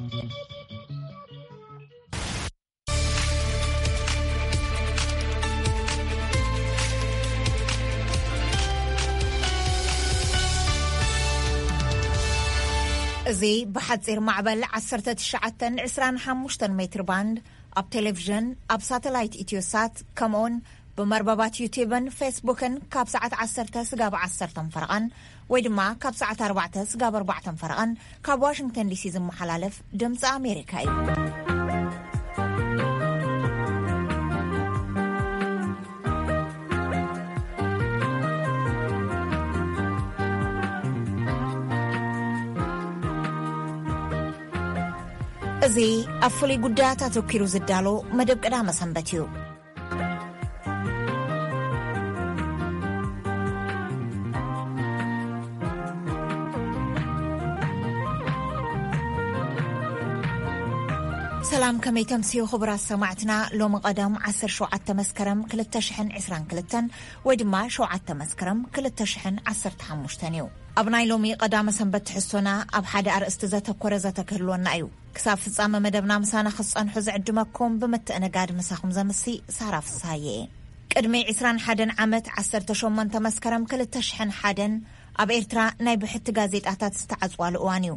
እዚ ብሓጺር ማዕበል ዓሰርተ ትሽዓተ ዕስራን ሓሙሽተን ሜትር ባንድ ኣብ ቴሌቪዥን፣ ኣብ ሳተላይት ኢትዮሳት፣ ከምኡውን ብመርበባት ዩቲብን ፌስቡክን ካብ ሰዓት ዓሰርተ ስጋብ ዓሰርተ ፈረቓን ወይ ድማ ካብ ሰዓት ኣርባዕተ ስጋብ ኣርባዕተ ፈረቓን ካብ ዋሽንግተን ዲሲ ዝመሓላለፍ ድምፂ ኣሜሪካ እዩ። እዚ ኣብ ፍሉይ ጉዳያት ኣተኲሩ ዝዳሎ መደብ ቀዳመ ሰንበት እዩ። ሰላም፣ ከመይ ተምስዩ ክቡራት ሰማዕትና? ሎሚ ቀደም ዓሰርተ ሸውዓተ መስከረም ክልተ ሽሕን ዕስራን ክልተን ወይ ድማ ሸውዓተ መስከረም ክልተ ሽሕን ዓሰርተ ሓሙሽተን እዩ። ኣብ ናይ ሎሚ ቀዳመ ሰንበት ትሕዝቶና ኣብ ሓደ ኣርእስቲ ዘተኮረ ዘተ ክህልወና እዩ። ክሳብ ፍጻመ መደብና ምሳና ክትጸንሑ ዝዕድመኩም ብምትእንጋድ ምሳኹም ዘምሲ ሳራ ፍስሃየ እየ። ቅድሚ ዕስራን ሓደን ዓመት ዓሰርተ ሸሞንተ መስከረም ክልተ ሽሕን ሓደን ኣብ ኤርትራ ናይ ብሕቲ ጋዜጣታት ዝተዓጽዋሉ እዋን እዩ።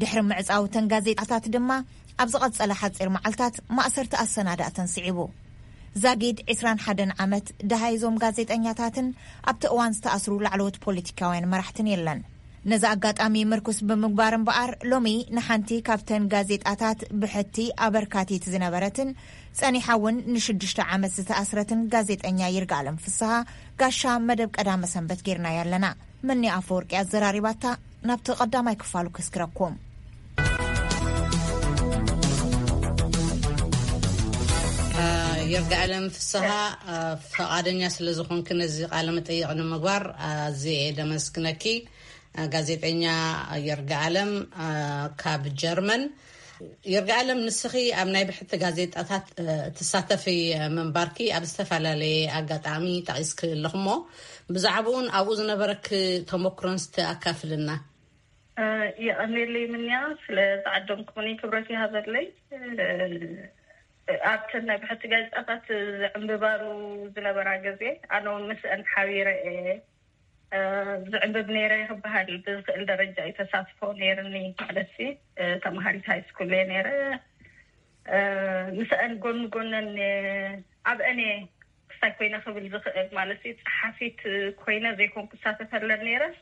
ድሕሪ ምዕጻው እተን ጋዜጣታት ድማ ኣብ ዝቐጸለ ሓጺር መዓልታት ማእሰርቲ ኣሰናዳእተን ስዒቡ። ዛጊድ ዕስራን ሓደን ዓመት ደሃይ እዞም ጋዜጠኛታትን ኣብቲ እዋን ዝተኣስሩ ላዕለዎት ፖለቲካውያን መራሕትን የለን። ነዚ ኣጋጣሚ ምርኩስ ብምግባር እምበኣር፣ ሎሚ ንሓንቲ ካብተን ጋዜጣታት ብሕቲ ኣበርካቲት ዝነበረትን ጸኒሓ እውን ንሽዱሽተ ዓመት ዝተኣስረትን ጋዜጠኛ ይርጋለም ፍስሃ ጋሻ መደብ ቀዳመ ሰንበት ጌርናያ ኣለና። መኒ ኣፈወርቂ ኣዘራሪባታ። ናብቲ ቀዳማይ ክፋሉ ከስክረኩም። ይርጋለም ፍስሃ፣ ፈቓደኛ ስለ ዝኾንክ ነዚ ቃለ መጠይቕ ንምግባር ኣዝየ እየ ደመስግነኪ። ጋዜጠኛ ይርጋለም ካብ ጀርመን። ይርጋለም፣ ንስኺ ኣብ ናይ ብሕቲ ጋዜጣታት ትሳተፊ ምንባርኪ ኣብ ዝተፈላለየ ኣጋጣሚ ጠቒስኪ ኣለኽሞ፣ ብዛዕባኡን ኣብኡ ዝነበረኪ ተመክሮን እስቲ ኣካፍልና። የቐኔለይ ምንያ፣ ስለ ዝዓደምኩምኒ ክብረት ይሃበለይ። ኣብተን ናይ ብሕቲ ጋዜጣታት ዝዕንብባሉ ዝነበራ ግዜ፣ ኣነ እውን ምስአን ሓቢረ እየ ዝዕንብብ ነይረ ክበሃል ብዝኽእል ደረጃ እዩ ተሳትፎ ነይርኒ። ማለት ሲ ተምሃሪት ሃይስኩል እየ ነይረ። ምስአን ጎን ጎነን ኣብአን እየ ክስታይ ኮይነ ክብል ዝኽእል። ማለት ሲ ጸሓፊት ኮይነ ዘይኮንኩ ክሳተፈለን ነይረስ፣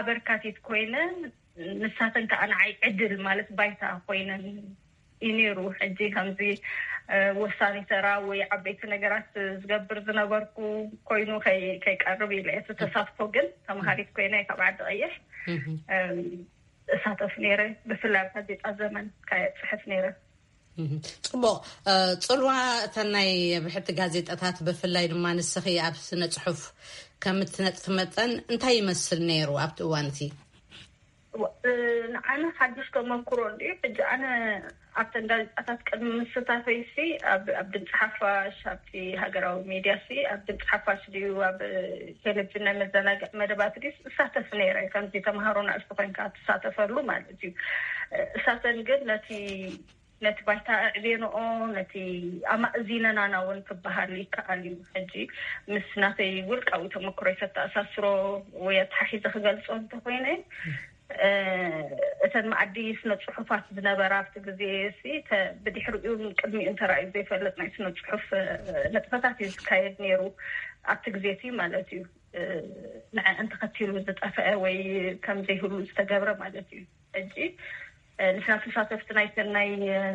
ኣበርካቲት ኮይነ፣ ንሳተን ከዓ ንዓይ ዕድል ማለት ባይታ ኮይነን እዩ ነይሩ። ሕጂ ከምዚ ወሳኒ ተራ ወይ ዓበይቲ ነገራት ዝገብር ዝነበርኩ ኮይኑ ከይቀርብ ኢለ እቲ ተሳትፎ ግን ተምሃሪት ኮይነ ካብ ዓዲ ቀይሕ እሳተፍ ነይረ። ብፍላይ ኣብ ጋዜጣ ዘመን ካየ ፅሕፍ ነይረ። ፅቡቕ። ፅልዋ እተን ናይ ብሕቲ ጋዜጣታት ብፍላይ ድማ ንስኺ ኣብ ስነ ፅሑፍ ከም እትነጥፊ መጠን እንታይ ይመስል ነይሩ ኣብቲ እዋን እቲ? ንዓና ሓድሽ ተመክሮ እንድዩ። ሕጂ ኣነ ኣብተን ጋዜጣታት ቅድሚ ምስታፈይ ሲ ኣብ ድምፂ ሓፋሽ፣ ኣብቲ ሃገራዊ ሜድያ ሲ ኣብ ድምፂ ሓፋሽ ድዩ ኣብ ቴሌቪዥን ናይ መዘናግዒ መደባት ድስ እሳተፍ ነይረ። ከምዚ ተምሃሮ ንእሽቶ ኮይንካ ትሳተፈሉ ማለት እዩ። እሳተን ግን ነቲ ነቲ ባይታ ኣዕቤንኦ፣ ነቲ ኣማእዚነናና እውን ክበሃል ይከኣል እዩ። ሕጂ ምስ ናተይ ውልቃዊ ተመክሮይ ከተኣሳስሮ ወይ ኣተሓሒዘ ክገልጾ እንተኮይነ፣ እተን መኣዲ ስነ ጽሑፋት ዝነበራ ኣብቲ ግዜ ሲ ብድሕሪኡ ቅድሚኡ እንተራእዩ ዘይፈልጥ ናይ ስነ ጽሑፍ ንጥፈታት እዩ ዝካየድ ነይሩ። ኣብቲ ግዜ እቲ ማለት እዩ ንዐ እንተኸቲሉ ዝጠፍአ ወይ ከም ዘይህሉ ዝተገብረ ማለት እዩ። ሕጂ ንሕና ተሳተፍቲ ናይተን ናይ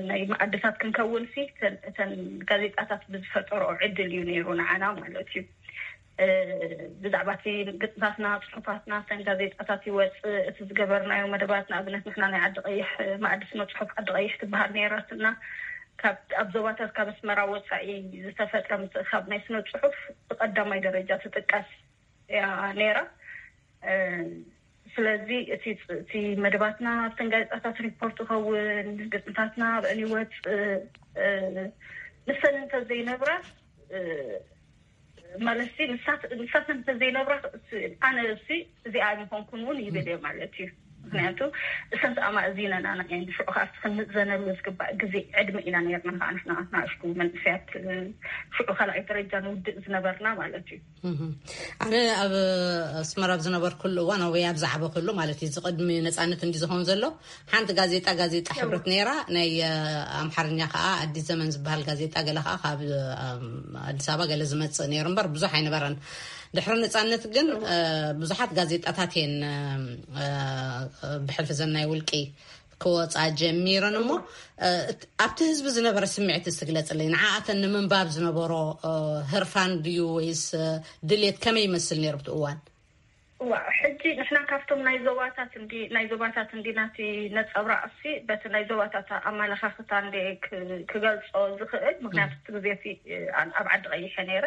ናይ መኣድታት ክንከውን ሲ እተን ጋዜጣታት ብዝፈጠሮ ዕድል እዩ ነይሩ ንዓና ማለት እዩ። ብዛዕባ እቲ ግጥምታትና፣ ፅሑፋትና፣ እተን ጋዜጣታት ይወፅእ፣ እቲ ዝገበርናዮ መደባት፣ ንኣብነት ንሕና ናይ ዓዲ ቀይሕ መኣዲ ስነ ፅሑፍ ዓዲ ቀይሕ ትበሃል ነይራትና። ካብ ኣብ ዞባታት ካብ ኣስመራ ወፃኢ ዝተፈጥረ ምትእኻብ ናይ ስነ ፅሑፍ ብቀዳማይ ደረጃ ትጥቀስ እያ ነይራ። ስለዚ እቲ እቲ መደባትና ኣብተን ጋዜጣታት ሪፖርት ይኸውን፣ ግጥምታትና ኣብአን ይወፅእ። ንሰን እንተዘይነብራ ማለት ንሳት ንሳት እንተዘይነብራ ኣነ እሲ እዚኣ ኣይምኾንኩን እውን ይብል እየ ማለት እዩ። ምክንያቱ እሰንት ኣማእዚነን ኣና እየን ሽዑ ከዓ ክንምዘነሉ ዝግባእ ግዜ ዕድመ ኢና ነርና ከዓ ንሕና ናእሽቱ መንእሰያት ሽዑ ካልኣይ ደረጃ ንውድእ ዝነበርና ማለት እዩ። ኣነ ኣብ ኣስመራ ኣብ ዝነበርኩሉ እዋን ወይ ኣብ ዝዓበክሉ ማለት እዩ ዝቅድሚ ነፃነት እንዲ ዝኸውን ዘሎ ሓንቲ ጋዜጣ ጋዜጣ ሕብረት ነይራ ናይ ኣምሓርኛ ከዓ ኣዲስ ዘመን ዝበሃል ጋዜጣ ገለ ከዓ ካብ ኣዲስ ኣበባ ገለ ዝመፅእ ነይሩ እምበር ብዙሕ ኣይነበረን። ድሕሪ ነፃነት ግን ብዙሓት ጋዜጣታት እየን ብሕልፊ ዘናይ ውልቂ ክወፃ ጀሚረን እሞ ኣብቲ ህዝቢ ዝነበረ ስምዒት ዝትግለፅለይ ንዓኣተን ንምንባብ ዝነበሮ ህርፋን ድዩ ወይስ ድሌት ከመይ ይመስል ነይሩ ብቲ እዋን? ዋ ሕጂ ንሕና ካብቶም ናይ ዞባታት ናይ ዞባታት እንዲ ናቲ ነፀብራቅሲ በቲ ናይ ዞባታት ኣመለካክታ እንደ ክገልፆ ዝኽእል ምክንያቱ እቲ ግዜ ኣብ ዓዲ ቀይሐ ነይረ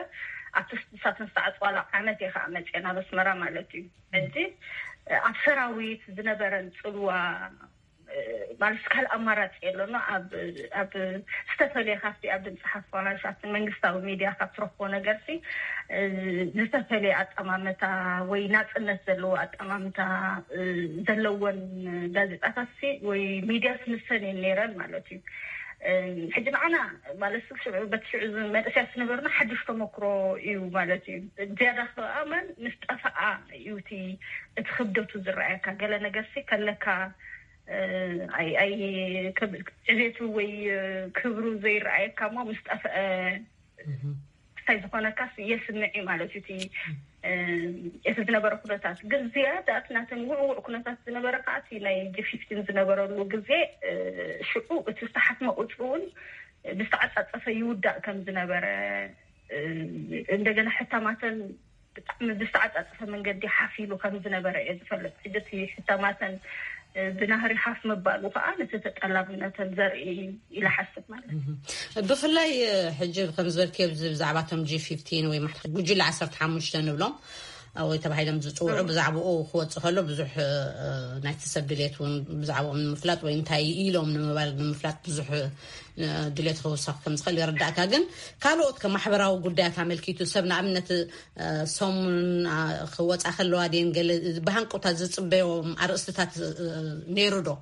ኣብቲ ስሳትን ዝተዓፅዋላ ዓመት እየ ከዓ መፅአ ናብ ኣስመራ ማለት እዩ። ሕጂ ኣብ ሰራዊት ዝነበረን ፅልዋ ማለት ካልእ ኣማራፂ የለኖ ኣብ ዝተፈለየ ካብቲ ኣብ ድምፂ ሓፋሽ ኣብቲ መንግስታዊ ሚድያ ካብ ትረክቦ ነገርሲ ዝተፈለየ ኣጠማምታ ወይ ናፅነት ዘለዎ ኣጠማምታ ዘለወን ጋዜጣታትሲ ወይ ሚድያስ ንሰን እየን ነይረን ማለት እዩ። ሕጂ ንዓና ማለት ሽዑ በቲ ሽዑ መንእሰያት ዝነበርና ሓድሽ ተመክሮ እዩ ማለት እዩ። ዝያዳ ከኣመን ምስ ጠፈኣ እዩ እቲ እቲ ክብደቱ ዝረኣየካ ገለ ነገርሲ ከለካ ኣይ ኣይ ዕቤቱ ወይ ክብሩ ዘይረኣየካ እሞ ምስ ጠፍአ እንታይ ዝኾነካስ የስምዕ እዩ ማለት እዩ። እቲ እቲ ዝነበረ ኩነታት ግን ዝያዳ እቲ ናተን ውዕውዕ ኩነታት ዝነበረ ከዓ እቲ ናይ ጂ ፊፍቲን ዝነበረሉ ግዜ ሽዑ እቲ ዝተሓትመ ቁፅሪ እውን ብዝተዓፃፀፈ ይውዳእ ከም ዝነበረ እንደገና ሕታማተን ብጣዕሚ ብዝተዓፃፀፈ መንገዲ ሓፊሉ ከም ዝነበረ እየ ዝፈልጥ። ሕጂ እቲ ሕታማተን ብናህሪ ሓፍ ምባሉ ከዓ ነቲ ተጠላብነተን ዘርኢ ኢለ ሓስብ ማለት እዩ። ብፍላይ ሕጂ ከም ዝበልክዮ ብዚ ብዛዕባ እቶም ጂ ፊፍቲን ወይ ማሕበር ጉጅለ ዓሰርተ ሓሙሽተ ንብሎም ወይ ተባሂሎም ዝፅውዑ ብዛዕባኡ ክወፅእ ከሎ ብዙሕ ናይቲ ሰብ ድሌት እውን ብዛዕባኦም ንምፍላጥ ወይ እንታይ ኢሎም ንምባል ንምፍላጥ ብዙሕ ድሌት ክውሰኽ ከም ዝኽእል ይርዳእካ። ግን ካልኦት ከማሕበራዊ ጉዳያት ኣመልኪቱ ሰብ ንኣብነት ሰሙን ክወፃ ከለዋ ድን ገለ ብሃንቀውታ ዝፅበዮም ኣርእስትታት ነይሩ ዶ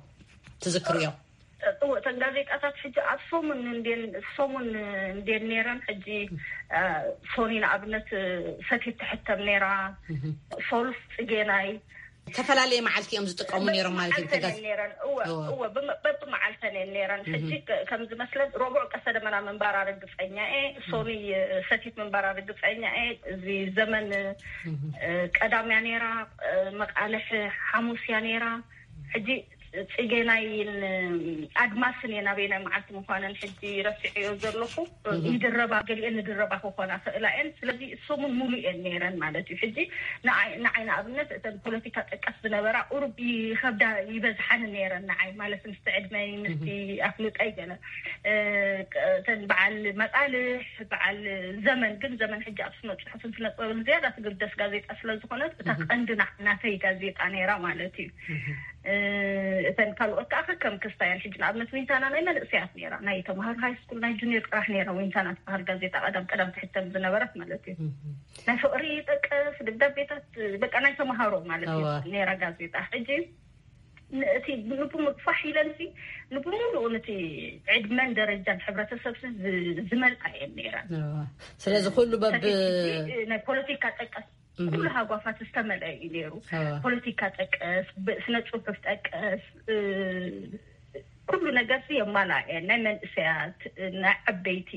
ትዝክርዮ? እወ እተን ጋዜጣታት ሕጂ ኣብ ሰሙን እንዴን ሰሙን እንዴን ነይረን። ሕጂ ሶኒ ንኣብነት ሰቲት ትሕተም ነይራ፣ ሶሉስ ፅጌናይ ዝተፈላለየ መዓልቲ እዮም ዝጥቀሙ ነይሮም ማለት እዩ። ተጋዝ ነይረን እወ እወ በብመዓልተን እየን ነይረን። ሕጂ ከም ዝመስለን ረቡዕ ቀሰ ደመና ምንባራ ርግፀኛ እየ። ሶኒ ሰቲት ምንባራ ርግፀኛ እየ። እዚ ዘመን ቀዳም እያ ነይራ፣ መቃልሕ ሓሙስ እያ ነይራ። ሕጂ ፅጌናይን ኣድማስን እየ ናበይናይ መዓልቲ ምኳነን ሕጂ ረሲዐዮ ዘለኹ። ይድረባ ገሊአን ንድረባ ክኾና ክእላ እየን። ስለዚ ሰሙን ሙሉእ እየን ነይረን ማለት እዩ። ሕጂ ንዓይ ንኣብነት እተን ፖለቲካ ጠቀስ ዝነበራ ቁሩብ ይኸብዳ ይበዝሓኒ ነይረን ንዓይ ማለት ምስቲ ዕድመይ ምስቲ ኣፍልጠይ ገለ እተን በዓል መቃልሕ በዓል ዘመን ግን ዘመን ሕጂ ኣብ ስነ ፅሑፍን ስነ ጥበብን ዝያዳ ትግደስ ጋዜጣ ስለዝኾነት እታ ቀንዲ ናተይ ጋዜጣ ነይራ ማለት እዩ። እተን ካልኦት ከዓ ከም ክስታያን ሕጂ ንኣብነት ዊንታና ናይ መንእሰያት ነይራ ናይ ተምሃር ሃይ ስኩል ናይ ጁኒየር ጥራሕ ነይራ ዊንታና ትበሃል ጋዜጣ ቀዳም ቀዳም ትሕተም ዝነበረት ማለት እዩ። ናይ ፍቅሪ ይጠቀስ ደብዳቤታት በቃ ናይ ተምሃሮ ማለት እዩ ነይራ ጋዜጣ። ሕጂ እቲ ንብምሉእ ፋሕ ኢለን ንብምሉእ ነቲ ዕድመን ደረጃን ሕብረተሰብ ዝመልኣ እየን ነይረን። ስለዚ ኩሉ በብ ናይ ፖለቲካ ጠቀስ ኩሉ ሃጓፋት ዝተመልአ እዩ ነይሩ። ፖለቲካ ጠቀስ፣ ስነ ፅሑፍ ጠቀስ ኩሉ ነገር የማልኣ እየን። ናይ መንእሰያት ናይ ዓበይቲ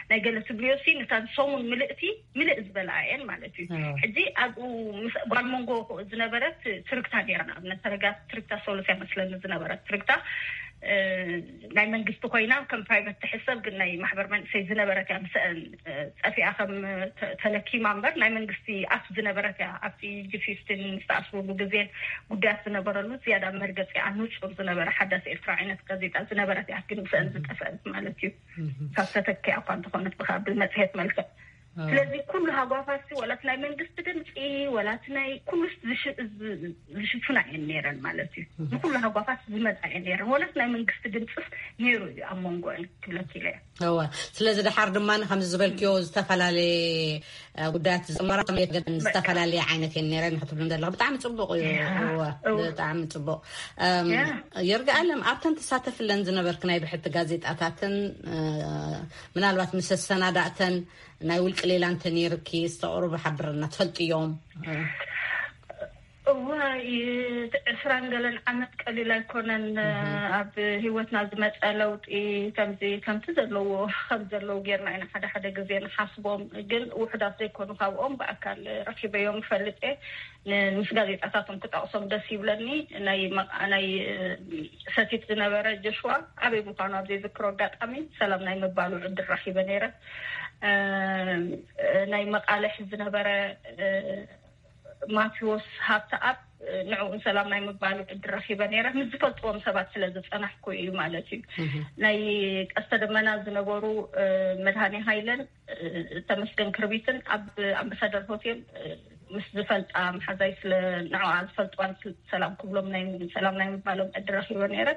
ናይ ገለ ትብልዮ ሲ ንታን ሰሙን ምልእቲ ምልእ ዝበልኣ እየን ማለት እዩ። ሕጂ ኣብኡ ምስ ጓል መንጎ ዝነበረት ትርግታ ነይራ ንኣብነት ተረጋ ትርግታ ሶሉስ እያ መስለኒ ዝነበረት ትርግታ ናይ መንግስቲ ኮይና ከም ፕራይቨት ትሕሰብ ግን ናይ ማሕበር መንእሰይ ዝነበረት እያ። ምስአን ፀፊኣ ከም ተለኪማ እምበር ናይ መንግስቲ ኣፍ ዝነበረት እያ። ኣብቲ ጂ ፊፍቲን ዝተኣስሩሉ ግዜን ጉዳያት ዝነበረሉ ዝያዳ መርገፂኣ ንፁር ዝነበረ ሓዳስ ኤርትራ ዓይነት ጋዜጣ ዝነበረት እያ። ግን ምስአን ዝጠፈአት ማለት እዩ። ካብ ተተኪኣ እኳ እንተኾነት ብካ ብመፅሄት መልክዕ ስለዚ ኩሉ ሃጓፋት፣ ወላት ናይ መንግስቲ ድምፂ፣ ወላት ናይ ኩሉስ ዝሽ- ዝ- ዝሽፍና እየን ነይረን ማለት እዩ። ንኩሉ ሃጓፋት ዝመፃ እየን ነይረን፣ ወላት ናይ መንግስቲ ድምፅስ ነይሩ እዩ ኣብ መንጎ ክብለኪ ኢለ እየ። እወ። ስለዚ ድሓር ድማ ከምዚ ዝበልክዮ ዝተፈላለየ ጉዳያት ዝመራ ዝተፈላለየ ዓይነት እየን ነይረን ክትብሉ ዘለኹ። ብጣዕሚ ፅቡቕ እዩ። እወ። ብጣዕሚ ፅቡቕ። የርጋኣለም፣ ኣብተን ትሳተፍለን ዝነበርክ ናይ ብሕቲ ጋዜጣታትን ምናልባት ምስ ኣሰናዳእተን ናይ ውልቂ ሌላ እንተ ነይርኪ ዝተቕርቡ ሓብርና ትፈልጥዮም? እዋ፣ ዕስራን ገለን ዓመት ቀሊል ኣይኮነን። ኣብ ህይወትና ዝመፀ ለውጢ ከምዚ ከምቲ ዘለዎ ከም ዘለዉ ጌርና ኢና ሓደ ሓደ ግዜ ንሓስቦም። ግን ውሕዳት ዘይኮኑ ካብኦም ብኣካል ረኪበዮም ይፈልጥ እየ። ምስ ጋዜጣታቶም ክጠቕሶም ደስ ይብለኒ። ናይ ሰቲት ዝነበረ ጆሽዋ ኣበይ ምዃኑ ኣብ ዘይዝክሮ ኣጋጣሚ ሰላም ናይ ምባሉ ዕድል ረኪበ ነይረ። ናይ መቓልሕ ዝነበረ ማቴዎስ ሃብተኣብ ንዕኡን ሰላም ናይ ምባሉ ዕድል ረኪበ ነይረ። ምስ ዝፈልጥዎም ሰባት ስለ ዝፀናሕኩ እዩ ማለት እዩ። ናይ ቀስተ ደመና ዝነበሩ መድሃኔ ሃይለን ተመስገን ክርቢትን ኣብ ኣምባሳደር ሆቴል ምስ ዝፈልጣ መሓዛይ ስለ ንዕኣ ዝፈልጥዋን ሰላም ክብሎም ናይ ሰላም ናይ ምባሎም ዕድል ረኪበ ነይረ።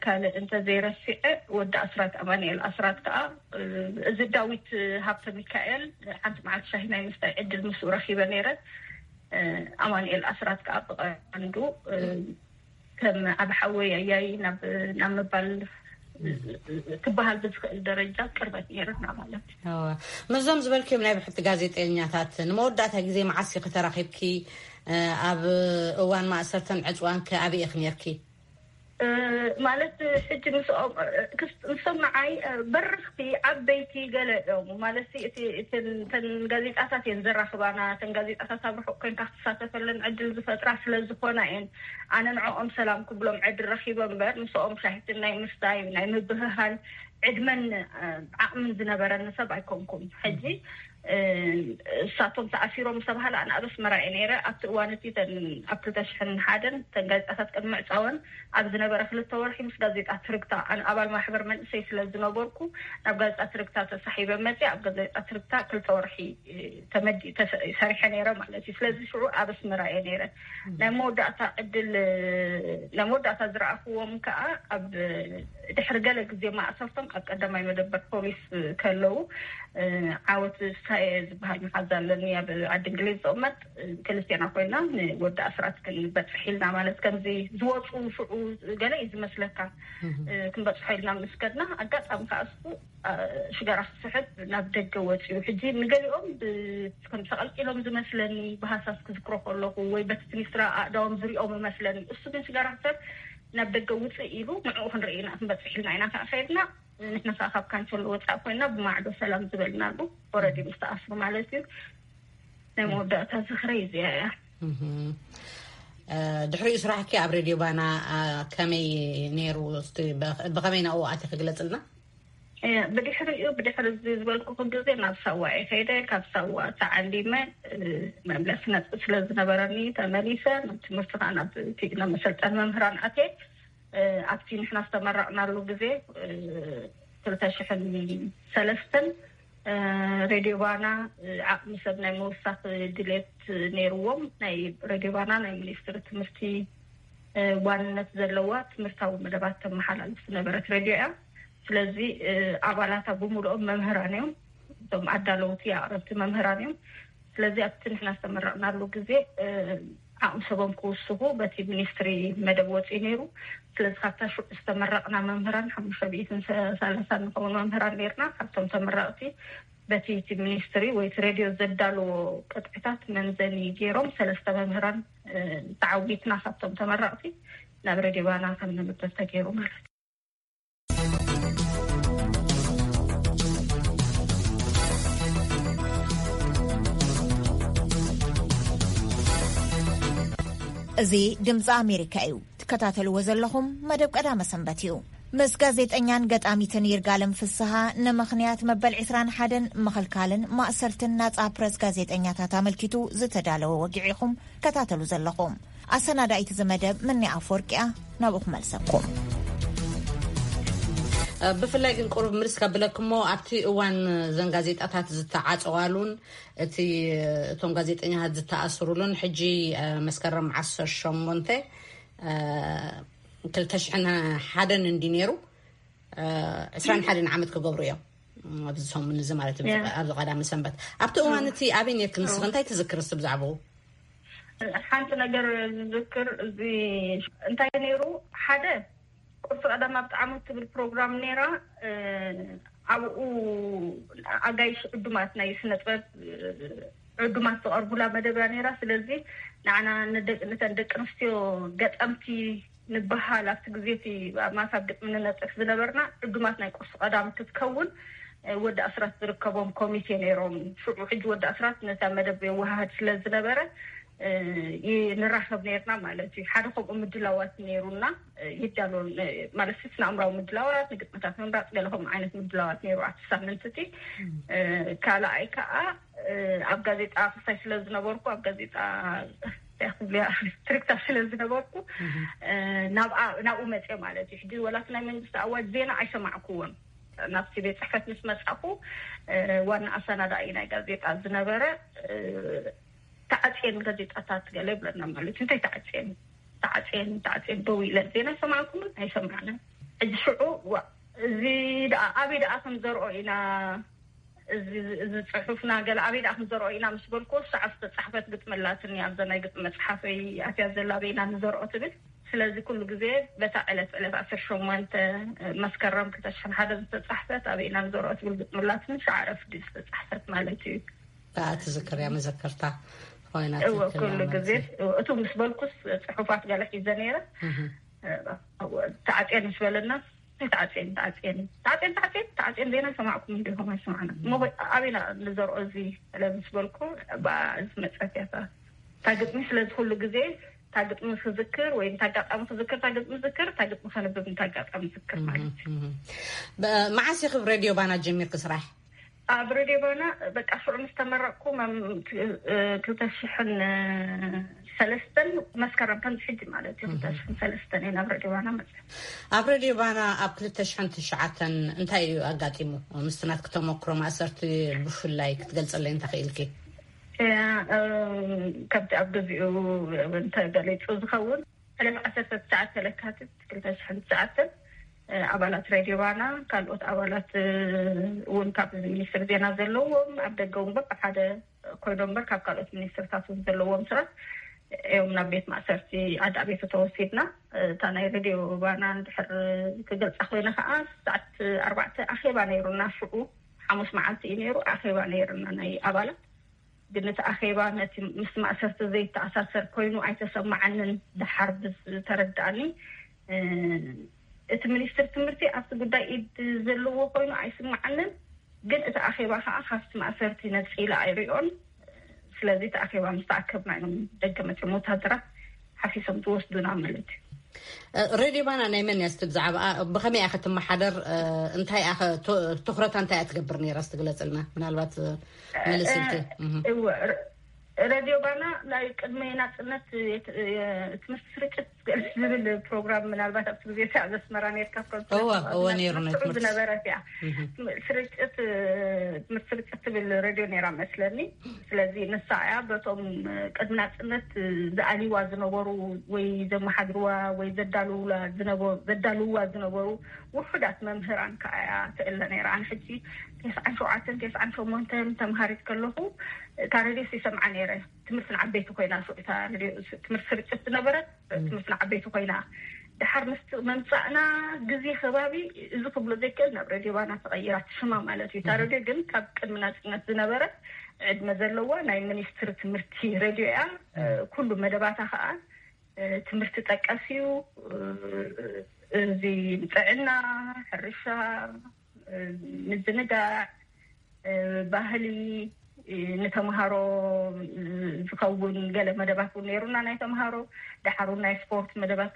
ካልእ እንተ ዘይረሲዐ ወዲ ኣስራት ኣማንኤል ኣስራት ከዓ እዚ ዳዊት ሃብተ ሚካኤል ሓንቲ መዓልቲ ሻሂ ናይ ምስታይ ዕድል ምስኡ ረኪበ ነይረ። ኣማንኤል ኣስራት ከዓ ብቐንዱ ከም ዓብ ሓወይ ኣያይ ናብ ናብ ምባል ክበሃል ብዝኽእል ደረጃ ቅርበት ነይርና ማለት እዩ። ምስዞም ዝበልክዮም ናይ ብሕቲ ጋዜጠኛታት ንመወዳእታ ግዜ መዓስ ኢኺ ተራኺብኪ? ኣብ እዋን ማእሰርተን ዕፅዋን ከ ኣበይ ኢኺ ነይርኪ? ማለት ሕጂ ምስኦም ንሶም ንዓይ በረኽቲ ዓበይቲ ገለ እዮም። ማለት እቲ እተን ጋዜጣታት እየን ዘራኽባና። እተን ጋዜጣታት ኣብ ርሑቕ ኮይንካ ክትሳተፈለን ዕድል ዝፈጥራ ስለ ዝኾና እየን። ኣነ ንዕኦም ሰላም ክብሎም ዕድል ረኺበ እምበር ምስኦም ሻሂትን ናይ ምስታይ ናይ ምብህሃል ዕድመን ዓቕምን ዝነበረኒ ሰብ ኣይኮንኩም። ሕጂ እሳቶም ተኣሲሮም ዝተባህለ ኣነ ኣብ ኣስመራ እየ ነይረ። ኣብቲ እዋን እቲ ተን ኣብ ክልተ ሽሕን ሓደን ተን ጋዜጣታት ቅድሚ ምዕፃወን ኣብ ዝነበረ ክልተ ወርሒ ምስ ጋዜጣ ትርግታ ኣነ ኣባል ማሕበር መንእሰይ ስለ ዝነበርኩ ናብ ጋዜጣ ትርግታ ተሳሒበ መፅየ። ኣብ ጋዜጣ ትርግታ ክልተ ወርሒ ተመዲ ሰሪሐ ነይረ ማለት እዩ። ስለዚ ሽዑ ኣብ ኣስመራ እየ ነይረ። ናይ መወዳእታ ዕድል ናይ መወዳእታ ዝረኣኽዎም ከዓ ኣብ ድሕሪ ገለ ግዜ ማእሰርቶም ኣብ ቀዳማይ መደበር ፖሊስ ከለዉ ዓወት ሳየ ዝበሃል መሓዛ ኣለኒ ኣብ ዓዲ እንግሊዝ ዝቕመጥ። ክልቴና ኮይና ንወዲ ኣስራት ክንበፅሕ ኢልና ማለት ከምዚ ዝወፁ ሽዑ ገለ እዩ ዝመስለካ። ክንበፅሖ ኢልና ምስ ከድና ኣጋጣሚ ከዓ እሱ ሽጋራ ክስሕብ ናብ ደገ ወፂኡ። ሕጂ ንገሊኦም ከም ተቐልቂሎም ዝመስለኒ ብሃሳስ ክዝክሮ ከለኹ ወይ በቲ ትኒስትራ ኣእዳዎም ዝሪኦም እመስለኒ። እሱ ግን ሽጋራ ክሰብ ናብ ደገ ውፅእ ኢሉ ንዕኡ ክንርኢ ኢና ክንበፅሕ ኢልና ኢና ከዓ ከይድና። ንሕና ከዓ ካብ ካንቸሎ ወፃእ ኮይና ብማዕዶ ሰላም ዝበልናሉ ወረዲ ምስ ተኣስሩ ማለት እዩ። ናይ መወዳእታ ዝኽረይ እዚኣ እያ። ድሕሪኡ ስራሕኪ ኣብ ሬድዮ ባና ከመይ ነይሩ? ብኸመይ ናብኡ ኣቲ ክግለፅልና? ብድሕሪኡ ብድሕሪ እዚ ዝበልኩኹ ግዜ ናብ ሳዋ እየ ከይደ። ካብ ሳዋ ተዓሊመ መምለሲ ነጥቢ ስለ ዝነበረኒ ተመሊሰ ናብ ትምህርቲ ከዓ ናብ መሰልጠን መምህራን ኣትየ። ኣብቲ ንሕና ዝተመረቕናሉ ግዜ ክልተ ሽሕን ሰለስተን ሬድዮ ባና ዓቕሚ ሰብ ናይ ምውሳኽ ድሌት ነይርዎም። ናይ ሬድዮ ባና ናይ ሚኒስትሪ ትምህርቲ ዋንነት ዘለዋ ትምህርታዊ መደባት ተመሓላልፍ ዝነበረት ሬድዮ እያ። ስለዚ ኣባላታ ብምልኦም መምህራን እዮም፣ እቶም ኣዳለውቲ ኣቕረብቲ መምህራን እዮም። ስለዚ ኣብቲ ንሕና ዝተመረቕናሉ ግዜ ዓቕሚ ሰቦም ክውስኹ በቲ ሚኒስትሪ መደብ ወፂኡ ነይሩ። ስለዚ ካብታ ሽዑ ዝተመረቕና መምህራን ሓሙሽተ ሚእትን ሰላሳን ንኸውን መምህራን ነይርና። ካብቶም ተመረቕቲ በቲ እቲ ሚኒስትሪ ወይ እቲ ሬድዮ ዘዳለዎ ቅጥዕታት መምዘኒ ገይሮም ሰለስተ መምህራን ተዓዊትና ካብቶም ተመረቕቲ ናብ ሬድዮ ባና ከም ንምደብ ተገይሩ ማለት እዩ። እዚ ድምፂ ኣሜሪካ እዩ። ትከታተልዎ ዘለኹም መደብ ቀዳመ ሰንበት እዩ። ምስ ጋዜጠኛን ገጣሚትን ይርጋለም ፍስሃ ንምኽንያት መበል ዕስራን ሓደን ምኽልካልን ማእሰርትን ናጻ ፕረስ ጋዜጠኛታት ኣመልኪቱ ዝተዳለወ ወግዒ ኢኹም ትከታተሉ ዘለኹም። ኣሰናዳኢት እዚ መደብ ምኒ ኣፈወርቂያ ናብኡ ክመልሰኩም። ብፍላይ ግን ቁሩብ ምልስ ከብለክሞ ኣብቲ እዋን ዘን ጋዜጣታት ዝተዓፀዋሉን እቲ እቶም ጋዜጠኛታት ዝተኣስሩሉን ሕጂ መስከረም ዓሰርተ ሸሞንተ ክልተ ሽሕን ሓደን እንዲ ነይሩ ዕስራን ሓደን ዓመት ክገብሩ እዮም ኣብዚ ሰሙን እዚ ማለት ኣብዚ ቀዳሚ ሰንበት። ኣብቲ እዋን እቲ ኣበይ ነርክ ንስኽ እንታይ ትዝክር እስቲ ብዛዕባኡ? ሓንቲ ነገር ዝዝክር እዚ እንታይ ነይሩ ሓደ ቁርሲ ቀዳም ኣብ ጣዕሙ ትብል ፕሮግራም ነይራ። ኣብኡ ኣጋይሽ ዕዱማት ናይ ስነጥበብ ዕዱማት ዝቐርቡላ መደብ እያ ነይራ። ስለዚ ንዓና ንደቂ- ንተን ደቂ ኣንስትዮ ገጠምቲ ንበሃል ኣብቲ ግዜ እቲ ኣብ ማሳብ ግጥሚ ንነጥፍ ዝነበርና ዕዱማት ናይ ቁርሲ ቀዳም ክትከውን ወዲ ኣስራት ዝርከቦም ኮሚቴ ነይሮም። ሽዑ ሕጂ ወዲ ኣስራት ነታ መደብ የወሃህድ ስለ ዝነበረ ንራኸብ ነርና ማለት እዩ። ሓደ ከምኡ ምድላዋት ነይሩና ይዳሎ ማለት ስነ ኣእምራዊ ምድላዋት ንግጥምታት ምምራፅ ገለ ከምኡ ዓይነት ምድላዋት ነይሩ ኣብቲ ሳምንት እቲ። ካልኣይ ከዓ ኣብ ጋዜጣ ክሳይ ስለ ዝነበርኩ ኣብ ጋዜጣ ክብልያ ትርክታ ስለ ዝነበርኩ ናብኡ መፅዮ ማለት እዩ። ሕጂ ወላቲ ናይ መንግስቲ ኣዋጅ ዜና ኣይሰማዕኩዎን። ናብቲ ቤት ፅሕፈት ምስ መፃኹ ዋና ኣሰናዳኢ ናይ ጋዜጣ ዝነበረ ተዓፅየን ጋዜጣታት ገለ ይብለና ማለት እዩ። እንታይ ተዓፅየን ተዓፅየን ተዓፅየን ደው ኢለን ዜና ኣይሰማዕኩምን ኣይሰማዕንን። ሕጂ ሽዑ እዚ ደኣ ኣበይ ደኣ ከም ዘርኦ ኢና እዚ ጽሑፍና ገለ ኣበይ ደኣ ክንዘርኦ ኢና ምስ በልኩ ሰዓብ ዝተጻሕፈት ግጥሚ ኣላትኒ ኣብዛ ናይ ግጥሚ መጽሓፈይ ኣትያ ዘላ ኣበይ ኢና ንዘርኦ ትብል። ስለዚ ኩሉ ግዜ በታ ዕለት ዕለት ዓሰርተ ሸሞንተ መስከረም ክልተ ሽሕን ሓደን ዝተጻሕፈት ኣበይ ኢና ንዘርኦ ትብል ግጥሚ ኣላትኒ ሸዓ ረፍዲ ዝተጻሕፈት ማለት እዩ። ከኣ ትዝክር እያ መዘከርታ ኮይና እወ ኩሉ ግዜ እቱ ምስ በልኩስ ጽሑፋት ገለ ሒዘ ነይረ። ተዓጽየን ምስ በለና ተዓፅየን ተዓፅየን ተዓፅየን ተዓፅየን ዜና ሰማዕኩም እንዲኹም ኣይሰማዕና እሞ ኣበይና ንዘርኦ እዚ ስለ ምስ በልኩ ብኣ ዝመፀት እያ እታ ግጥሚ። ስለዚ ኩሉ ግዜ እታ ግጥሚ ክዝክር ወይ እንታ ኣጋጣሚ ክዝክር እታ ግጥሚ ዝክር እታ ግጥሚ ከንብብ እንታ ኣጋጣሚ ዝክር ማለት እዩ። መዓስ ኢኺ ብ ሬድዮ ባና ጀሚርኪ ስራሕ? ኣብ ሬድዮ ባና በቃ ሽዑ ምስ ተመረቅኩ ክልተ ሽሕን ሰለስተን መስከረም ከምዚ ሕጂ ማለት እዩ ክልተ ሽሕን ሰለስተን እየ ናብ ሬድዮ ባና መፅእ። ኣብ ሬድዮ ባና ኣብ ክልተ ሽሕን ትሽዓተን እንታይ እዩ ኣጋጢሙ? ምስቲ ናትኪ ተመክሮ ማእሰርቲ ብፍላይ ክትገልፀለይ እንተኽኢልኪ። ከምቲ ኣብ ግዚኡ እንተገሊፁ ዝኸውን ዕለት ዓሰርተ ትሽዓተ ለካቲት ክልተ ሽሕን ትሽዓተን ኣባላት ሬድዮ ባና ካልኦት ኣባላት እውን ካብ ሚኒስትር ዜና ዘለዎም ኣብ ደገ እውን በብሓደ ኮይኖም እምበር ካብ ካልኦት ሚኒስትርታት እውን ዘለዎም ሰባት እዮም ናብ ቤት ማእሰርቲ ዓዲ ኣቤቶ ተወሲድና። እታ ናይ ሬድዮ ባና እንድሕር ክገልፃ ኮይነ ከዓ ሰዓት ኣርባዕተ ኣኼባ ነይሩና። ሽዑ ሓሙስ መዓልቲ እዩ ነይሩ ኣኼባ ነይርና ናይ ኣባላት። ግን እቲ ኣኼባ ነቲ ምስ ማእሰርቲ ዘይተኣሳሰር ኮይኑ ኣይተሰማዓንን። ደሓር ብዝተረዳእኒ እቲ ሚኒስትር ትምህርቲ ኣብቲ ጉዳይ ኢድ ዘለዎ ኮይኑ ኣይስማዓንን። ግን እቲ ኣኼባ ከዓ ካብቲ ማእሰርቲ ነፂለ ኣይሪኦን። ስለዚ እቲ ኣኼባ ምስ ተኣከብና እዮም ደገ መፅዮም ወታደራት ሓፊሶም ዝወስዱና ማለት እዩ። ሬድዮ ባና ናይ መን እያ እስቲ ብዛዕባኣ ብኸመይ እያ ክትመሓደር? እንታይ እያ ትኹረታ እንታይ እያ ትገብር ነይራ እስቲ ግለፅልና ምናልባት መልስ ኢልኪ። ሬድዮ ባና ናይ ቅድሚ ናፅነት ትምህርቲ ስርጭት ዝብል ፕሮግራም ምናልባት ኣብቲ ግዜ እቲ ኣብ ኣስመራ ነርካ እወ እወ ነይሩ ናይ ትምህርቲ ዝነበረት እያ። ስርጭት ትምህርቲ ስርጭት ትብል ሬድዮ ነይራ መስለኒ። ስለዚ ንሳ እያ በቶም ቅድሚ ናፅነት ዝኣልይዋ ዝነበሩ ወይ ዘመሓድርዋ ወይ ዘዳልውላ ዝነበሩ ዘዳልውዋ ዝነበሩ ውሑዳት መምህራን ከዓ እያ ትእለ ነይራ። ኣነ ሕጂ ተስዓን ሸውዓተን ተስዓን ሸሞንተን ተምሃሪት ከለኹ እታ ሬድዮ ይሰምዓ ነይረ። ትምህርቲ ንዓበይቲ ኮይና ሽዑ እታ ሬድዮ ትምህርቲ ስርጭት ዝነበረት ትምህርቲ ንዓበይቲ ኮይና ድሓር ምስ መምፃእና ግዜ ከባቢ እዚ ክብሎ ዘይክእል ናብ ሬድዮ ባና ተቐይራ ሽማ ማለት እዩ። እታ ሬድዮ ግን ካብ ቅድሚ ናፅነት ዝነበረ ዕድመ ዘለዋ ናይ ሚኒስትሪ ትምህርቲ ሬድዮ እያ። ኩሉ መደባታ ከዓ ትምህርቲ ጠቀስ እዩ። እዚ ጥዕና፣ ሕርሻ፣ ምዝንጋዕ፣ ባህሊ፣ ንተምሃሮ ዝኸውን ገለ መደባት እውን ነይሩና ናይ ተምሃሮ። ድሓር እውን ናይ ስፖርት መደባት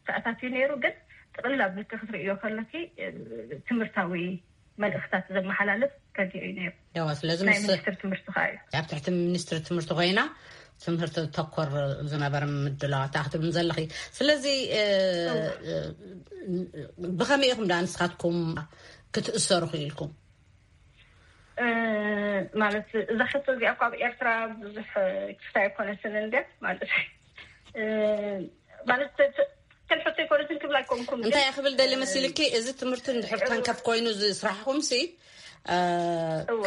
ተኣታትዩ ነይሩ። ግን ጥቕልል ኣቢልኪ ክትርእዮ ከለኪ ትምህርታዊ መልእኽታት ዘመሓላልፍ ረድዮ እዩ ነይሩ። ያዋ ስለዚ ናይ ምስ ሚኒስትር ትምህርቲ ከዓ እዩ። ኣብ ትሕቲ ሚኒስትሪ ትምህርቲ ኮይና ትምህርቲ ተኮር ዝነበረ ምድላዋት ክትብልን ዘለኺ። ስለዚ ብኸመይ ኢኹም ደኣ ንስኻትኩም ክትእሰሩ ክኢልኩም? ማለት እዛ ሕቶ እዚኣ እኳ ኣብ ኤርትራ ብዙሕ ክፍታ ኣይኮነትን እንደ ማለት ማለት ከልፈቶ ኣይኮነትን ክብል ኣይኮንኩም። እንታይ ክብል ደሊ መሲልኪ፣ እዚ ትምህርቲ እንድሕር ተንከፍ ኮይኑ ዝስራሕኹም ሲ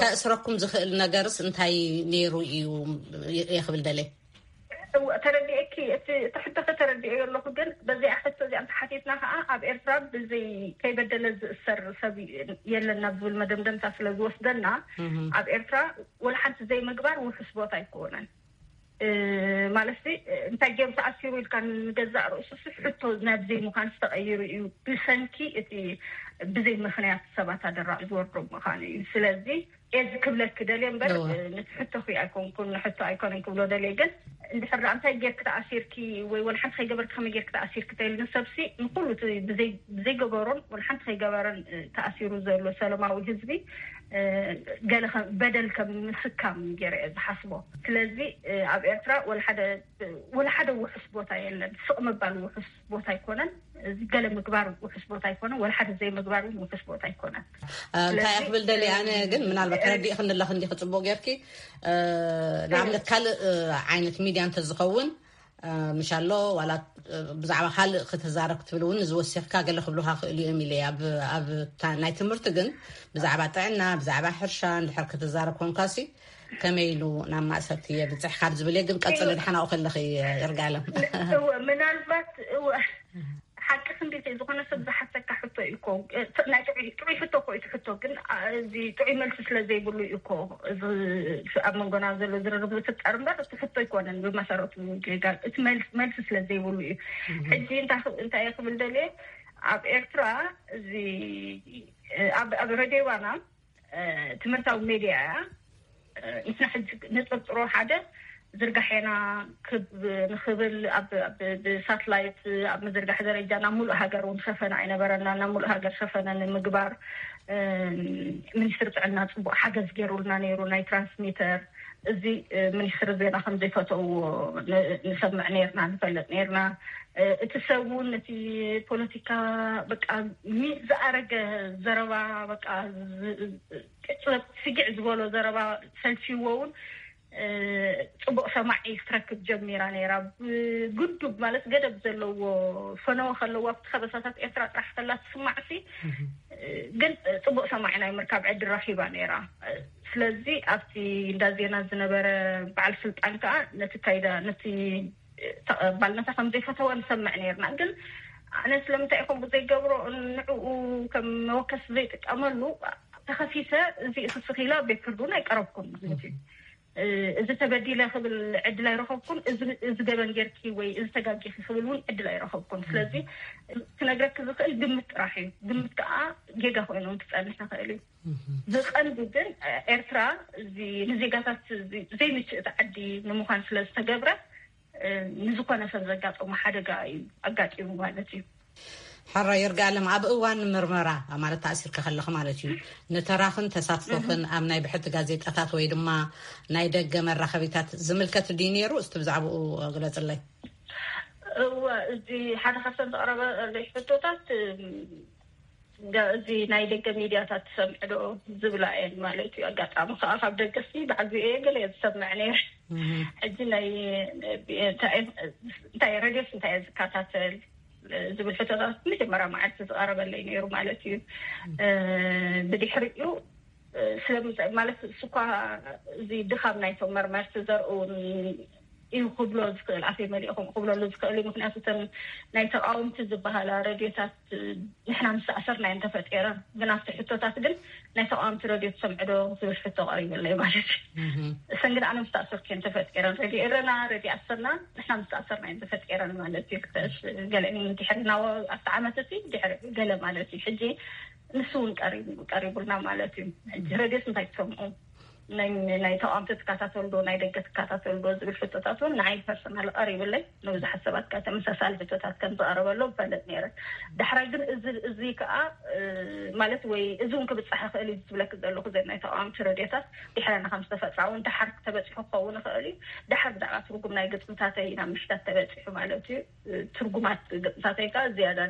ከእስረኩም ዝኽእል ነገርስ እንታይ ነይሩ እዩ ክብል ደሊ። ተረዲኤኪ፣ እቲ ሕቶኺ ተረዲኤዮ ኣለኹ። ግን በዚኣ ሕቶ እዚኣ እንተሓቲትና ከዓ ኣብ ኤርትራ ብዘይ ከይበደለ ዝእሰር ሰብ የለን ናብ ዝብል መደምደምታ ስለ ዝወስደና ኣብ ኤርትራ ወላ ሓንቲ ዘይምግባር ውሑስ ቦታ ኣይኮነን። ማለት እንታይ ገይሩ ተኣሲሩ ኢልካ ንገዛእ ርእሱ ሕቶ ናብ ዘይምዃን ዝተቐይሩ እዩ። ብሰንኪ እቲ ብዘይ ምኽንያት ሰባት ኣደራዕ ዝወርዶም ምዃኑ እዩ። ስለዚ እዚ ክብለኪ ደልየ እምበር ነቲ ሕቶ ክይ ኣይኮንኩን ንሕቶ ኣይኮነን ክብሎ ደልየ። ግን እንድሕር ደኣ እንታይ ጌርኪ ተኣሲርኪ ወይ ወላ ሓንቲ ከይገበርኪ ከመይ ጌርኪ ተኣሲርኪ ተይሉ ንሰብሲ ንኩሉ ብዘይገበሮን ወላ ሓንቲ ከይገበረን ተኣሲሩ ዘሎ ሰለማዊ ህዝቢ ገለ በደል ከም ምስካም ገይረ እየ ዝሓስቦ። ስለዚ ኣብ ኤርትራ ወላ ሓደ ውሑስ ቦታ የለን። ስቕ ምባል ውሑስ ቦታ ኣይኮነን። እዚ ገለ ምግባር ውሑስ ቦታ ኣይኮነን፣ ወላ ሓደ ዘይምግባር እውን ውሑስ ቦታ ኣይኮነን። እንታይ ክብል ደሊ ኣነ ግን ምናልባት ተረዲእክኒ ኣለኽ እንዲ ክፅቡቅ ጌርኪ ንኣብነት ካልእ ዓይነት ሚድያ እንተዝኸውን ምሻሎ ዋላ ብዛዕባ ካልእ ክትዛረብ ክትብል እውን እዚ ወሲኽካ ገለ ክብሉካ ክእሉ እዮም ኢለ ኣብ ናይ ትምህርቲ ግን ብዛዕባ ጥዕና ብዛዕባ ሕርሻ እንድሕር ክትዛረብ ኮንካሲ ከመይ ኢሉ ናብ ማእሰርቲ የብፅሕ ካብ ዝብል ግን ቀፅሊ ድሓናኡ ከለኺ ይርጋለም ምናልባት ሓቂ ክንዲ ዝኾነ ሰብ ዝሓተካ ሕቶ እዩ እኮ ናይ ጥዑይ ሕቶ እኮ እዩ ሕቶ ግን እዚ ጥዑይ መልሲ ስለ ዘይብሉ እዩ እኮ እዚ ኣብ መንጎና ዘሎ ዝርርብ ዝፍጠር እምበር እቲ ሕቶ ኣይኮነን ብመሰረቱ ጌጋ እቲ መልሲ ስለ ዘይብሉ እዩ ሕጂ እንታይ ክብል ደልየ ኣብ ኤርትራ እዚ ኣብ ረድዮባና ትምህርታዊ ሜድያ እያ ንሕና ሕጂ ንጥርጥሮ ሓደ ዝርጋሐና ክብ ንኽብል ብሳትላይት ኣብ ምዝርጋሕ ደረጃ ናብ ሙሉእ ሃገር እውን ሸፈነ ኣይነበረና ናብ ሙሉእ ሃገር ሸፈነ ንምግባር ሚኒስትሪ ጥዕና ፅቡቅ ሓገዝ ገይሩልና ነይሩ ናይ ትራንስሚተር እዚ ሚኒስትሪ ዜና ከምዘይፈተውዎ ንሰምዕ ነርና ንፈልጥ ነርና እቲ ሰብ እውን እቲ ፖለቲካ በቃ ዝኣረገ ዘረባ በቃ ቅፅበት ስጊዕ ዝበሎ ዘረባ ሰልችዎ እውን ፅቡቅ ሰማዒ ክትረክብ ጀሚራ ነይራ ብግዱብ ማለት ገደብ ዘለዎ ፈነወ ከለዋ ኣብቲ ከበሳታት ኤርትራ ጥራሕ ከላ ትስማዕሲ ግን ፅቡቅ ሰማዒ ናይ ምርካብ ዕድል ረኪባ ነይራ ስለዚ ኣብቲ እንዳ ዜና ዝነበረ በዓል ስልጣን ከዓ ነቲ ካይዳ ነቲ ተቐባልነታ ከም ዘይፈተወ ንሰምዕ ነርና ግን ኣነ ስለምንታይ ኢኹም ብዘይገብሮ ንዕኡ ከም መወከሲ ዘይጥቀመሉ ተኸሲሰ እዚ እሱ ስኺላ ቤት ፍርዱን ኣይቀረብኩን ማለት እዩ እዚ ተበዲለ ክብል ዕድል ኣይረኸብኩን እዚ ገበን ጌርኪ ወይ እዚ ተጋጊኺ ክብል እውን ዕድል ኣይረኸብኩን ስለዚ ክነግረኪ ዝኽእል ግምት ጥራሕ እዩ ግምት ከዓ ጌጋ ኮይኖም ክፀንሕ ይኽእል እዩ ብቐንዱ ግን ኤርትራ እዚ ንዜጋታት ዘይምችእቲ ዓዲ ንምዃን ስለ ዝተገብረ ንዝኾነ ሰብ ዘጋጠሙ ሓደጋ እዩ ኣጋጢሙ ማለት እዩ። ሕራይ ይርጋለም ኣብ እዋን ምርመራ ማለት ተኣሲርካ ከለኻ ማለት እዩ ንተራኽን ተሳትፎኽን ኣብ ናይ ብሕቲ ጋዜጣታት ወይ ድማ ናይ ደገ መራኸቢታት ዝምልከት ድዩ ነይሩ? እስቲ ብዛዕባኡ ግለፅለይ። እወ እዚ ሓደ ካብተን ዝቐረበለይ ሕቶታት እዚ ናይ ደገ ሚድያታት ትሰምዕ ዶ ዝብላ እየን ማለት እዩ ኣጋጣሚ ከዓ ካብ ደገሲ ብዓብዩ እየ ገለ እየ ዝሰምዕ ነይረ ሕጂ ናይ እንታይ ረድዮስ እንታይ እየ ዝከታተል ዝብል ሕቶታት መጀመርያ መዓልቲ ዝቀረበለይ ነይሩ ማለት እዩ ብድሕሪኡ ስለምንታይ ማለት እሱ እኳ እዚ ድኻም ናይቶም መርመርቲ ዘርእውን እዩ ክብሎ ዝኽእል ኣፈይ መሊእኹም ክብለሉ ዝኽእል እዩ ምክንያቱ እተን ናይ ተቃወምቲ ዝበሃላ ረድዮታት ንሕና ምስ ተኣሰርና እየን ተፈጢረን ግን ኣብቲ ሕቶታት ግን ናይ ተቃወምቲ ረድዮ ትሰምዕዶ ዝብል ሕቶ ቀሪብለይ ማለት እዩ እሰን ግን ኣነ ምስ ተኣሰርኩ እየን ተፈጢረን ረድዮ ኤረና ረድዮ ኣሰና ንሕና ምስ ተኣሰርና እየን ተፈጢረን ማለት እዩ ገለ ድሕሪ ናወ ኣብቲ ዓመት እቲ ድሕሪ ገለ ማለት እዩ ሕጂ ንሱ እውን ቀሪቡልና ማለት እዩ ሕጂ ረድዮስ እንታይ ትሰምዑ ናይ ናይ ተቃውምቲ ትከታተሉ ዶ ናይ ደገ ትከታተሉ ዶ ዝብል ሕቶታት እውን ንዓይ ፐርሰናል ቀሪብለይ። ንብዙሓት ሰባት ከ ተመሳሳሊ ሕቶታት ከም ዝቐረበሎም ፈልጥ ነይረ። ዳሕራይ ግን እዚ እዚ ከዓ ማለት ወይ እዚ እውን ክብፃሕ ይኽእል እዩ ዝብለክ ዘለኹ ዘ ናይ ተቃውምቲ ረድዮታት ድሕረና ከም ዝተፈፃ እውን ድሓር ተበፂሑ ክኸውን ይኽእል እዩ። ድሓር ብዛዕባ ትርጉም ናይ ግጥምታተይ ናብ ምሽታት ተበፂሑ ማለት እዩ። ትርጉማት ግጥምታተይ ከዓ ዝያዳ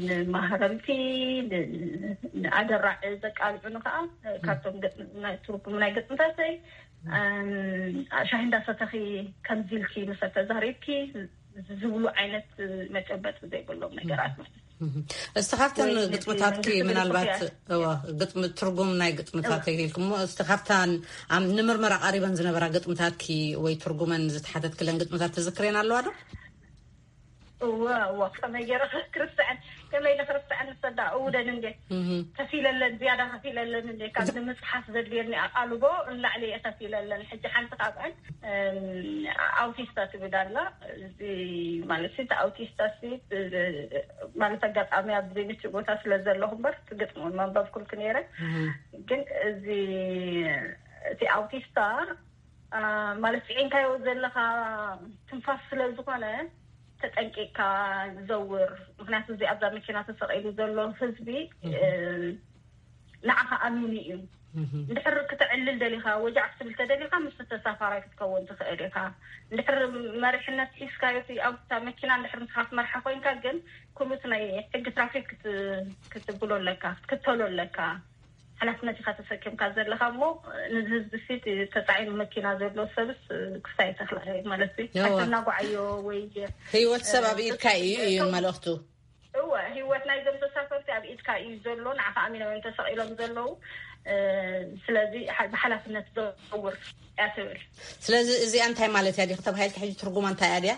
ንማህረምቲ ንኣደራዕ ዘቃልዑ ንከዓ ካብቶም ትርጉም ናይ ግጥምታተይ ሻሂ እንዳሰተኺ ከምዚ ኢልኪ ምሰ ተዛሪብኪ ዝብሉ ዓይነት መጨበጢ ዘይብሎም ነገራት ማለት እስቲ ካብተን ግጥምታትኪ ምናልባት ግጥሚ ትርጉም ናይ ግጥምታት ኢልክሞ እስቲ ካብታን ንምርመራ ቀሪበን ዝነበራ ግጥምታትኪ ወይ ትርጉመን ዝተሓተትክለን ግጥምታት ትዝክሬን ኣለዋ ዶ? እወ እወ ከመይ ገይረ ክርስትዐን ከመይ ኢለ ክርስትዐን ንሰዳ እውደን እንዴ ከፊለለን ዝያዳ ከፊለለን እንዴ ካብ ንምፅሓፍ ዘድልየኒ ኣቃልቦ ንላዕሊ እየ ከፊለለን። ሕጂ ሓንቲ ካብዐን ኣውቲስታ ትብል ኣላ። እዚ ማለት እቲ ኣውቲስታ ማለት ኣጋጣሚ ኣብ ዘይምቹእ ቦታ ስለ ዘለኹ እምበር ግጥሚ እውን መንበብኩልክ ነይረ። ግን እዚ እቲ ኣውቲስታ ማለት ስዒንካዮ ዘለካ ትንፋስ ስለ ዝኾነ ተጠንቂቅካ ዘውር። ምክንያቱ እዚ ኣብዛ መኪና ተሰቂሉ ዘሎ ህዝቢ ንዓኻ ኣሚኑ እዩ። እንድሕር ክተዕልል ደሊኻ ወጃዕ ክትብል ተደሊኻ ምስ ተሳፋራይ ክትከውን ትኽእል ኢኻ። እንድሕር መሪሕነት ሒዝካዮ ኣብታ መኪና እንድሕር ንስኻ ትመርሓ ኮይንካ ግን ኩሉት ናይ ሕጊ ትራፊክ ክትብሎ ኣለካ ክትክተሎ ኣለካ። ሓላፍነት ኢኻ ተሰኪምካ ዘለኻ እሞ ንዚ ህዝቢ ሲ ተፃዒኑ መኪና ዘሎ ሰብስ ክስታይ ተኽላ ማለት ኣስተናጓዓዮ ወይ ህይወት ሰብ ኣብ ኢድካ እዩ እዩ መልእኽቱ። እወ ህይወት ናይዞም ተሳፈርቲ ኣብ ኢድካ እዩ ዘሎ። ንዓኻ ኣሚኖም እዮም ተሰቒሎም ዘለዉ። ስለዚ ብሓላፍነት ዘውር እያ ትብል። ስለዚ እዚኣ እንታይ ማለት እያ ዲኺ ተባሂልካ ሕጂ ትርጉማ እንታይ እያ ድያ?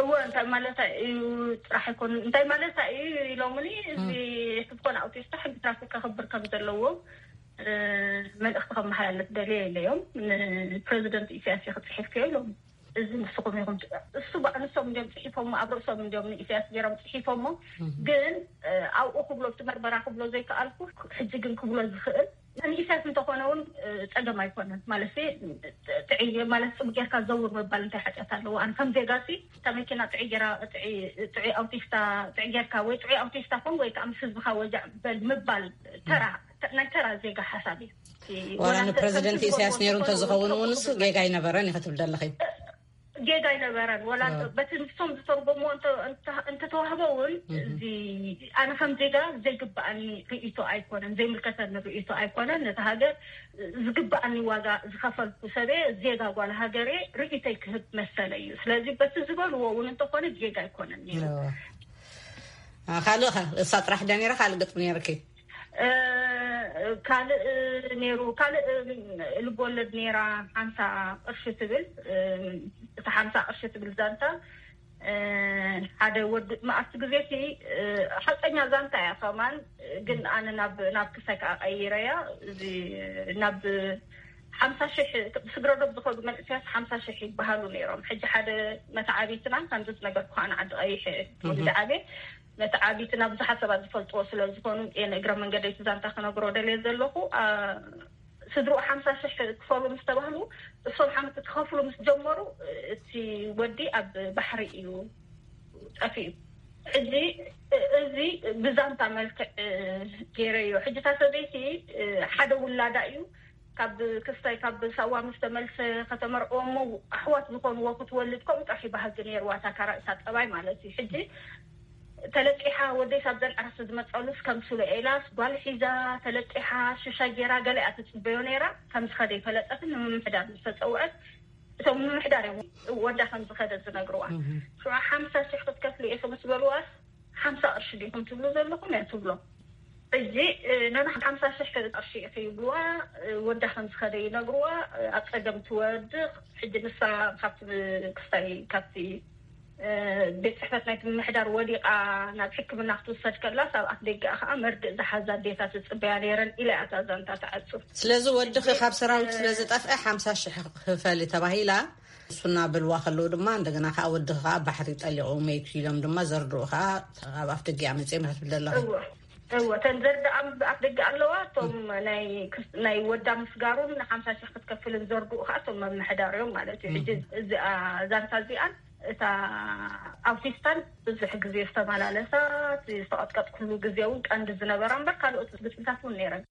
እወ እንታይ ማለታ እዩ ጥራሕ ኣይኮን እንታይ ማለታ እዩ ኢሎምኒ። እዚ ክትኮነ ኣውቲስታ ሕጊ ትራፊክ ከኽብር ከም ዘለዎ መልእኽቲ ከመሓላለፍ ደልየ ኢለዮም። ንፕረዚደንት ኢሳያስ ኢኺ ፅሒፍክዮ ኢሎም። እዚ ንስኹም ኢኹም እሱ ባዕንሶም እንዲዮም ፅሒፎሞ ኣብ ርእሶም እንዲዮም ንኢሳያስ ገይሮም ፅሒፎሞ። ግን ኣብኡ ክብሎ እቲ መርመራ ክብሎ ዘይከኣልኩ ሕጂ ግን ክብሎ ዝኽእል ንኢሳያስ እንተኾነ እውን ፀገም ኣይኮነን ማለት ጥዕይ ማለት ፅቡቅ ጌርካ ዘውር ምባል እንታይ ሓጢኣት ኣለዎ? ኣነ ከም ዜጋ ሲ እታ መኪና ጥዕይ ጌራ ጥዕይ ኣውቲስታ ጥዕይ ጌርካ ወይ ጥዑይ ኣውቲስታ ኮን ወይ ከዓ ምስ ህዝብካ ወጃዕ በል ምባል ተራ ናይ ተራ ዜጋ ሓሳብ እዩ። ዋላ ንፕረዚደንት ኢሳያስ ነይሩ እንተዝኸውን እውን እሱ ጌጋ ኣይነበረን ኢኸ ትብል ዘለኺ? ጌጋ ኣይነበረን። ወላ በቲ ንሶም ዝተርጎምዎ እንተተዋህበ እውን እዚ ኣነ ከም ዜጋ ዘይግባኣኒ ርእይቶ ኣይኮነን፣ ዘይምልከተኒ ርእይቶ ኣይኮነን። ነቲ ሃገር ዝግባኣኒ ዋጋ ዝኸፈልኩ ሰበ ዜጋ ጓል ሃገሬ ርእይቶይ ክህብ መሰለ እዩ። ስለዚ በቲ ዝበልዎ እውን እንተኾነ ጌጋ ኣይኮነን ነይሩ። ካልእ እሳ ጥራሕ ደ ነይራ ካልእ ግጥሚ ነይርኪ? ካልእ ነይሩ ካልእ ልቦለድ ነይራ ሓምሳ ቅርሺ ትብል። እቲ ሓምሳ ቅርሺ ትብል ዛንታ ሓደ ወዲ ኣብቲ ግዜ ሲ ሓቀኛ ዛንታ እያ ከማን ግን ኣነ ናብ ናብ ክሳይ ከዓ ቀይረያ እዚ ናብ ሓምሳ ሽሕ ስግረዶብ ዝኸዱ መንእሰያት ሓምሳ ሽሕ ይበሃሉ ነይሮም። ሕጂ ሓደ መተዓቢትና ከምዚ ዝነገርኩ ከዓ ንዓዲ ቀይሕ ወዲ ዓብየ መተዓቢትና ብዙሓት ሰባት ዝፈልጥዎ ስለ ዝኾኑ እየ ንእግረ መንገደይ እቲ ዛንታ ክነግሮ ደልየ ዘለኹ። ስድርኡ ሓምሳ ሽሕ ክፈሉ ምስ ተባህሉ እሶም ሓንቲ ክኸፍሉ ምስ ጀመሩ እቲ ወዲ ኣብ ባሕሪ እዩ ጠፊኡ። ሕጂ እዚ ብዛንታ መልክዕ ገይረዮ። ሕጂ እታ ሰበይቲ ሓደ ውላዳ እዩ ካብ ክስታይ ካብ ሳዋ ምስ ተመልሰ ከተመርዕዎ እሞ ኣሕዋት ዝኾንዎ ክትወልድ ከምኡ ጥራሕ ይባህጊ ነይርዋ እታ ካራእሳ ጠባይ ማለት እዩ። ሕጂ ተለቂሓ ወደይ ሳብ ዘንዓረስ ዝመፀሉስ ከም ሱለ ኤላስ ጓል ሒዛ ተለቂሓ ሽሻ ጌራ ገለ እያ ትፅበዮ ነይራ። ከም ዝኸደ ይፈለጠትን ንምምሕዳር ምስ ተፀውዐት እቶም ምምሕዳር እዮም ወዳ ከም ዝኸደ ዝነግርዋ። ሽዑ ሓምሳ ሽሕ ክትከፍሉ ኢኹ ምስ በልዋስ ሓምሳ ቅርሺ ዲኹም ትብሉ ዘለኹም እያ ትብሎ። ሕጂ ነና ሓምሳ ሽሕ ቅርሺ ኢኺ ይብልዋ። ወዳ ከም ዝኸደ ይነግርዋ። ኣብ ፀገም ትወድቕ። ሕጂ ንሳ ካብቲ ክስታይ ካብቲ ቤት ፅሕፈት ናይቲ ምምሕዳር ወዲቓ ናብ ሕክምና ክትውሰድ ከላስ ኣብ ኣፍ ደገኣ ከዓ መርድእ ዝሓዛ ኣዴታት ዝፅበያ ነይረን ኢላ እያ እታ ዛንታ ትዓፅው። ስለዚ ወድኺ ካብ ሰራዊት ስለ ዝጠፍአ ሓምሳ ሽሕ ክፈሊ ተባሂላ እሱና በልዋ ከለዉ ድማ እንደገና ከዓ ወድኺ ከዓ ባሕሪ ጠሊቑ መይቱ ኢሎም ድማ ዘርድኡ ከዓ ኣብ ኣፍ ደገኣ መፅኦም ክትብል ዘለኺ። እወ እወ፣ እተን ዘርድኣም ኣፍ ደገ ኣለዋ። እቶም ናይ ክስ- ናይ ወዳ ምስጋሩን ሓምሳ ሺሕ ክትከፍልን ዘርድኡ ከዓ እቶም መምሕዳር እዮም ማለት እዩ። ሕጂ እዚኣ ዛንታ እዚኣን እታ ኣውቲስታን ብዙሕ ግዜ ዝተመላለሳ፣ ዝተቐጥቀጥኩሉ ግዜ እውን ቀንዲ ዝነበራ እምበር ካልኦት ግጥምታት እውን ነይረን።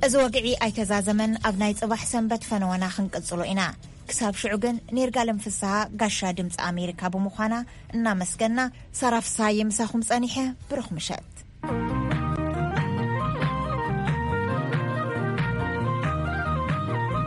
እዚ ወግዒ ኣይተዛዘመን። ኣብ ናይ ጽባሕ ሰንበት ፈነወና ክንቅጽሎ ኢና። ክሳብ ሽዑ ግን፣ ኔርጋለም ፍስሃ ጋሻ ድምፂ ኣሜሪካ ብምዃና እናመስገና፣ ሳራ ፍስሃየ ምሳኹም ጸኒሐ። ብሩኽ ምሸት።